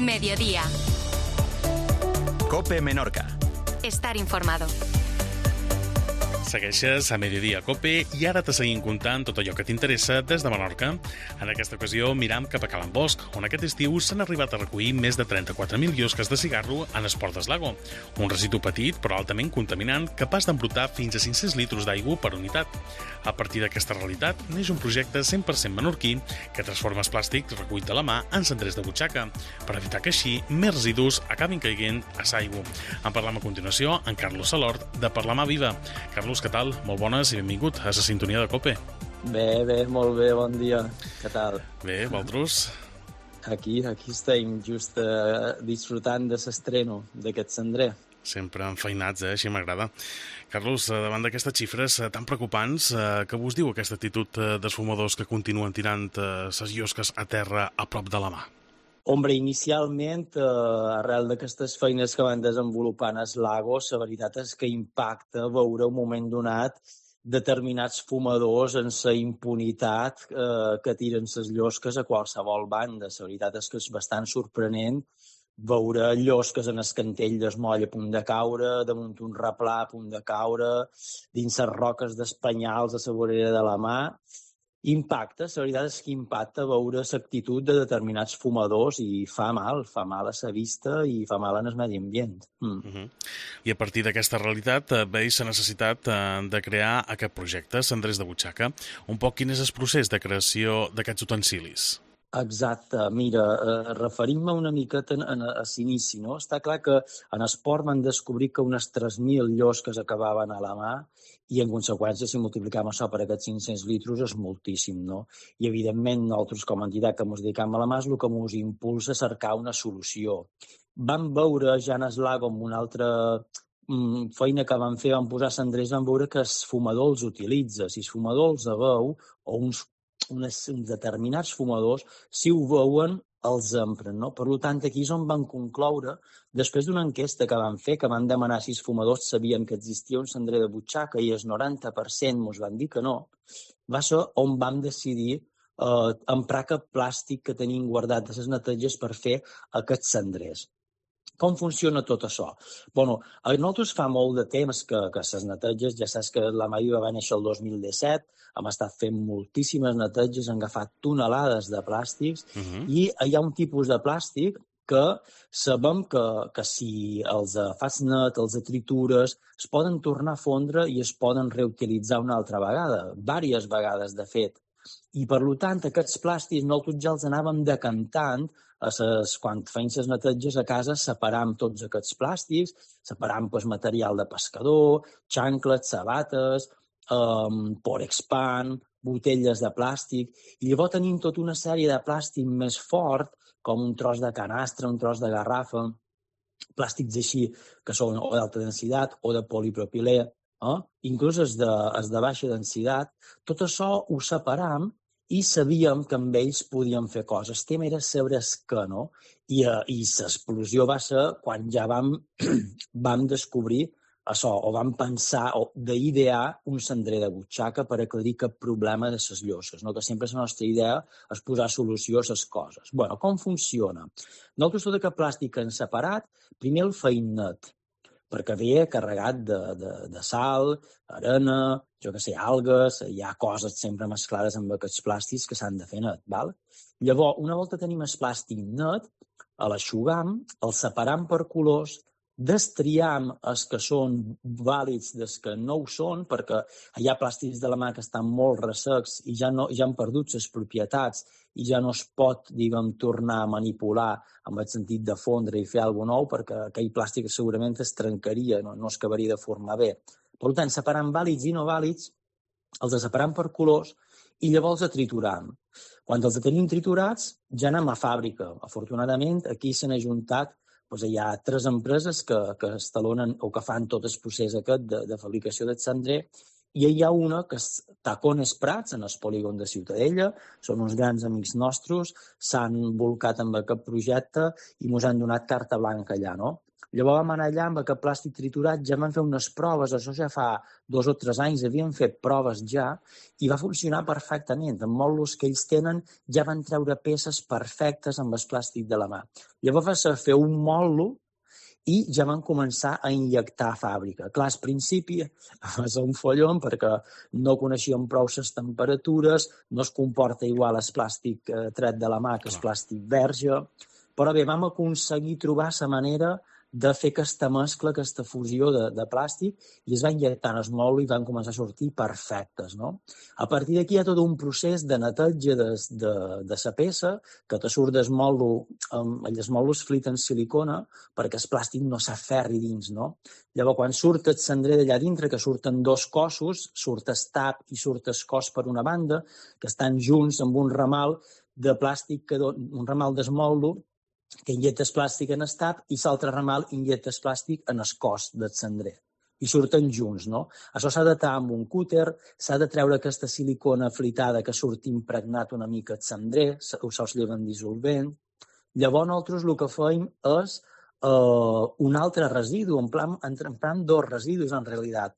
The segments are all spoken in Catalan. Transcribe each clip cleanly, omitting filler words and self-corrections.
Mediodía. COPE Menorca. Estar informado. Segueixes a Mediodía COPE i ara te seguim contant tot allò que t'interessa des de Menorca. En aquesta ocasió miram cap a Cala Bosch, on aquest estiu s'han arribat a recollir més de 34.000 llosques de cigarro en Esport d'Eslago, un residu petit però altament contaminant capaç d'embrutar fins a 500 litres d'aigua per unitat. A partir d'aquesta realitat neix un projecte 100% menorquí que transforma els plàstics recollit de la mà en cendrers de butxaca, per evitar que així més residus acabin caient a l'aigua. En parlam a continuació amb Carlos Salort, de Parlamar Viva. Carlos, què tal? Molt bones i benvingut a la sintonia de COPE. Bé, molt bé, bon dia. Què tal? Bé, vosaltres? Aquí estem just disfrutant de l'estreno d'aquest cendrer. Sempre enfeinats, així m'agrada. Carlos, davant d'aquestes xifres tan preocupants, què vos diu aquesta actitud dels fumadors que continuen tirant les llosques a terra a prop de la mà? Hombre, inicialment, arrel d'aquestes feines que van desenvolupant el Lago, la veritat és que impacta veure un moment donat determinats fumadors en la impunitat que tiren les llosques a qualsevol banda. La veritat és que és bastant sorprenent veure llosques en el cantell del moll a punt de caure, damunt un replà a punt de caure, dins les roques d'Espanyals a la vorera de la mà. Impacta, la veritat és que impacta veure l'actitud de determinats fumadors i fa mal a la vista i fa mal en el medi ambient. I a partir d'aquesta realitat veus la necessitat de crear aquest projecte, Cendrers de Butxaca. Un poc quin és el procés de creació d'aquests utensilis? Exacte. Mira, referint-me una miqueta a l'inici, no? Està clar que en esport van descobrir que unes 3.000 llosques acabaven a la mà i, en conseqüència, si multiplicam això per aquests 500 litres és moltíssim, no? I, evidentment, nosaltres, com a entitat que ens dedicam a la mà, és el que ens impulsa a cercar una solució. Vam veure, ja en el Lago, amb una altra feina que vam fer, vam posar cendrers, vam veure que el fumador els utilitza. Si el fumador els veu, o uns determinats fumadors, si ho veuen, els empren, no? Per tant, aquí és on van concloure, després d'una enquesta que van fer, que van demanar si els fumadors sabien que existia un cendrer de butxaca i el 90% ens van dir que no, va ser on vam decidir emprar aquest plàstic que tenim guardat de les neteges per fer aquests cendrers. Com funciona tot això? Bueno, a nosaltres fa molt de temps que les neteges, ja saps que la Maïva va néixer el 2017, hem estat fent moltíssimes neteges, han agafat tonelades de plàstics i hi ha un tipus de plàstic que sabem que si els fas net, els tritures, es poden tornar a fondre i es poden reutilitzar una altra vegada, diverses vegades de fet. I per tant, aquests plàstics nosaltres ja els anàvem decantant quan feim les neteges a casa, separam tots aquests plàstics, separam material de pescador, xancles, sabates, porexpan, botelles de plàstic, i llavors tenim tota una sèrie de plàstic més fort, com un tros de canastre, un tros de garrafa, plàstics així que són o d'alta densitat o de polipropilè, inclús els de baixa densitat. Tot això ho separam i sabíem que amb ells podíem fer coses. El tema era saber què, no? I l'explosió va ser quan ja vam descobrir això, o vam pensar d'idear un cendrer de butxaca per aclarir cap problema de les llosques, no? Que sempre la nostra idea és posar solució a les coses. Bueno, com funciona? Nosaltres tot aquest plàstic que hem separat, primer el feim net, perquè ve carregat de sal, arena, jo què sé, algues, hi ha coses sempre mesclades amb aquests plàstics que s'han de fer net, val? Llavors, una volta tenim el plàstic net, l'aixugam, el separam per colors, destriam els que són vàlids dels que no ho són, perquè hi ha plàstics de la mà que estan molt ressecs i ja han perdut les propietats i ja no es pot, diguem, tornar a manipular amb el sentit de fondre i fer alguna cosa nou, perquè aquell plàstic segurament es trencaria, no es acabaria de formar bé. Per tant, separant vàlids i no vàlids, els separam per colors i llavors els trituram. Quan els tenim triturats, ja anem a fàbrica. Afortunadament, aquí s'han ajuntat, hi ha 3 empreses que estalonen o que fan tot el procés aquest de fabricació del cendrer, i hi ha una que és Tacones Prats, en el polígon de Ciutadella, són uns grans amics nostres, s'han bolcat amb aquest projecte i ens han donat carta blanca allà, no? Llavors vam anar allà amb aquest plàstic triturat, ja vam fer unes proves, això ja fa 2 o 3 anys, havíem fet proves ja, i va funcionar perfectament. Amb mòduls que ells tenen ja van treure peces perfectes amb el plàstic de la mà. Llavors va fer un mòdul i ja van començar a injectar a fàbrica. Clar, al principi va ser un follon perquè no coneixíem prou les temperatures, no es comporta igual el plàstic tret de la mà que el plàstic verge, però bé, vam aconseguir trobar la manera de fer aquesta mescla, aquesta fusió de plàstic, i es va injectar en el mòdul i van començar a sortir perfectes, no? A partir d'aquí hi ha tot un procés de neteja de la peça, que te surt del mòdul, els mòduls flit en silicona, perquè el plàstic no s'aferri dins, no? Llavors, quan surt el cendrer d'allà dintre, que surten 2 cossos, surt el tap i surt el cos per una banda, que estan junts amb un ramal de plàstic, un ramal del mòdul, que injecta el plàstic en el tap i l'altre ramal injecta el plàstic en el cos del cendrer. I surten junts, no? Això s'ha de tallar amb un cúter, s'ha de treure aquesta silicona flitada que surt impregnat una mica el cendrer, se'ls lleva en dissolvent. Llavors nosaltres el que feim és un altre residu, emprant 2 residus en realitat.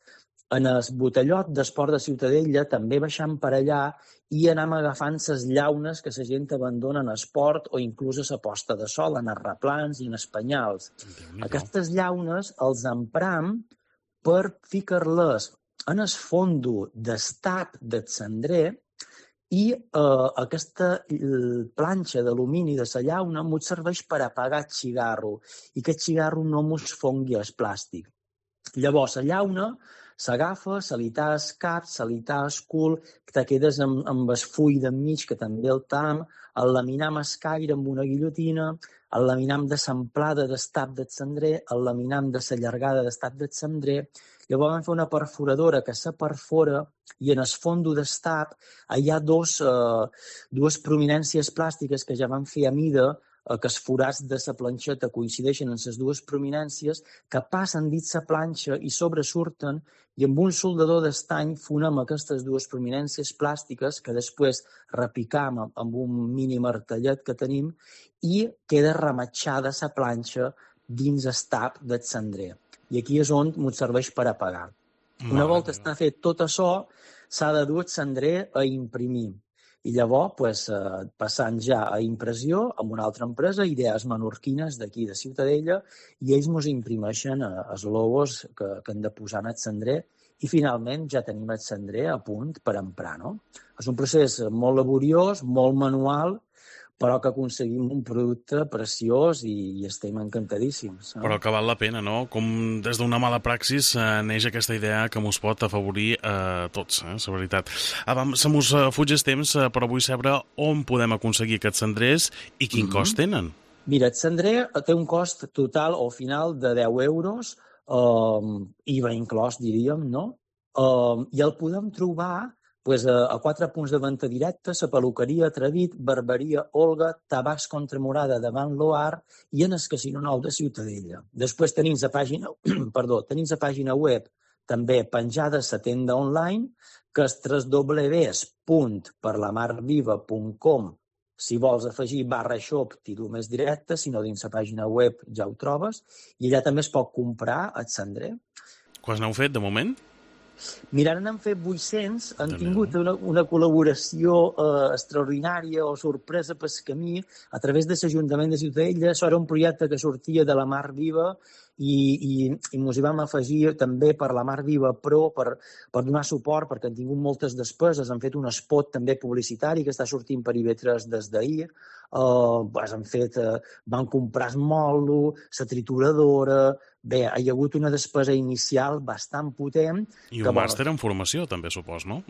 En el botellot d'Esport de Ciutadella també baixant per allà i anem agafant les llaunes que la gent abandona en esport o inclús a la posta de sol, en els replans i en els penyals. Aquestes llaunes els empram per ficar-les en el fondo del tap del cendrer i aquesta planxa d'alumini de la llauna ens serveix per apagar el cigarro i que el cigarro no ens fongui el plàstic. Llavors, la llauna s'agafa, se li talla el cap, se li talla el cul, te quedes amb el full d'enmig, que també el tam, el laminam el caire amb una guillotina, el laminam de l'amplada del tap del cendrer, el laminam de la llargada del tap del cendrer. Llavors vam fer una perforadora que se perfora i en el fondo del tap hi ha dues prominències plàstiques que ja van fer a mida, que els forats de la planxeta coincideixen en les 2 prominències, que passen dins la planxa i sobresurten, i amb un soldador d'estany fonem aquestes 2 prominències plàstiques que després repicam amb un mini martellet que tenim i queda rematxada la planxa dins el tap del cendrer. I aquí és on ens serveix per apagar. Una volta està fet tot això, s'ha de dur el cendrer a imprimir. I llavors, passant ja a impressió amb una altra empresa, Idees Menorquines d'aquí de Ciutadella, i ells ens imprimeixen els logos que hem de posar en el cendrer i finalment ja tenim el cendrer a punt per emprar, no? És un procés molt laboriós, molt manual, però que aconseguim un producte preciós i estem encantadíssims. Però que val la pena, no? Com des d'una mala praxis neix aquesta idea que mos pot afavorir a tots, la veritat. Se mos fuig el temps, però vull saber on podem aconseguir aquests cendrers i quin cost tenen. Mira, el cendrer té un cost total o final de 10 euros, IVA inclòs, diríem, no? I el podem trobar a 4 punts de venda directa, la peluqueria Atrevit, Barberia Olga, Tabacs Contramurada davant l'OAR i en el Casino Nou de Ciutadella. Després tenim la pàgina web també penjada a la tenda online, que és www.perlamarviva.com. Si vols afegir /shop, tiro més directe, si no dins la pàgina web ja ho trobes, i allà també es pot comprar el cendrer. Quants n'heu fet de moment? Mira, ara n'han fet 800, han tingut una col·laboració extraordinària o sorpresa pel camí a través de l'Ajuntament de Ciutadella. Això era un projecte que sortia de la Mar Viva i ens hi vam afegir també per la Mar Viva Pro per donar suport, perquè han tingut moltes despeses. Han fet un spot també publicitari que està sortint per IB3 des d'ahir. Van comprar el mòdul, la trituradora. Bé, hi ha hagut una despesa inicial bastant potent. I un màster en formació, també, supos, no?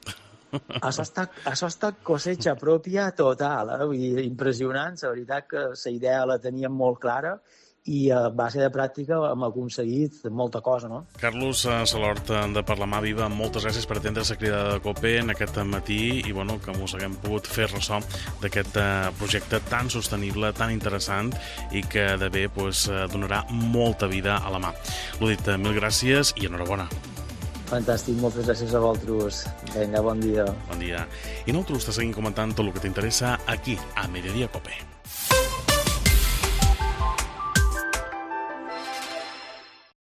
Això ha estat cosecha pròpia total, impressionant. La veritat que la idea la teníem molt clara i a base de pràctica hem aconseguit molta cosa, no? Carlos Salort, de Per la Mà Viva, moltes gràcies per atendre la crida de COPE en aquest matí i que mos haguem pogut fer ressò d'aquest projecte tan sostenible, tan interessant i que de bé donarà molta vida a la mà. L'ho dit, mil gràcies i enhorabona. Fantàstic, moltes gràcies a vosaltres. Vinga, bon dia. Bon dia. I nosaltres te seguim comentant tot el que t'interessa aquí, a Mediodía COPE.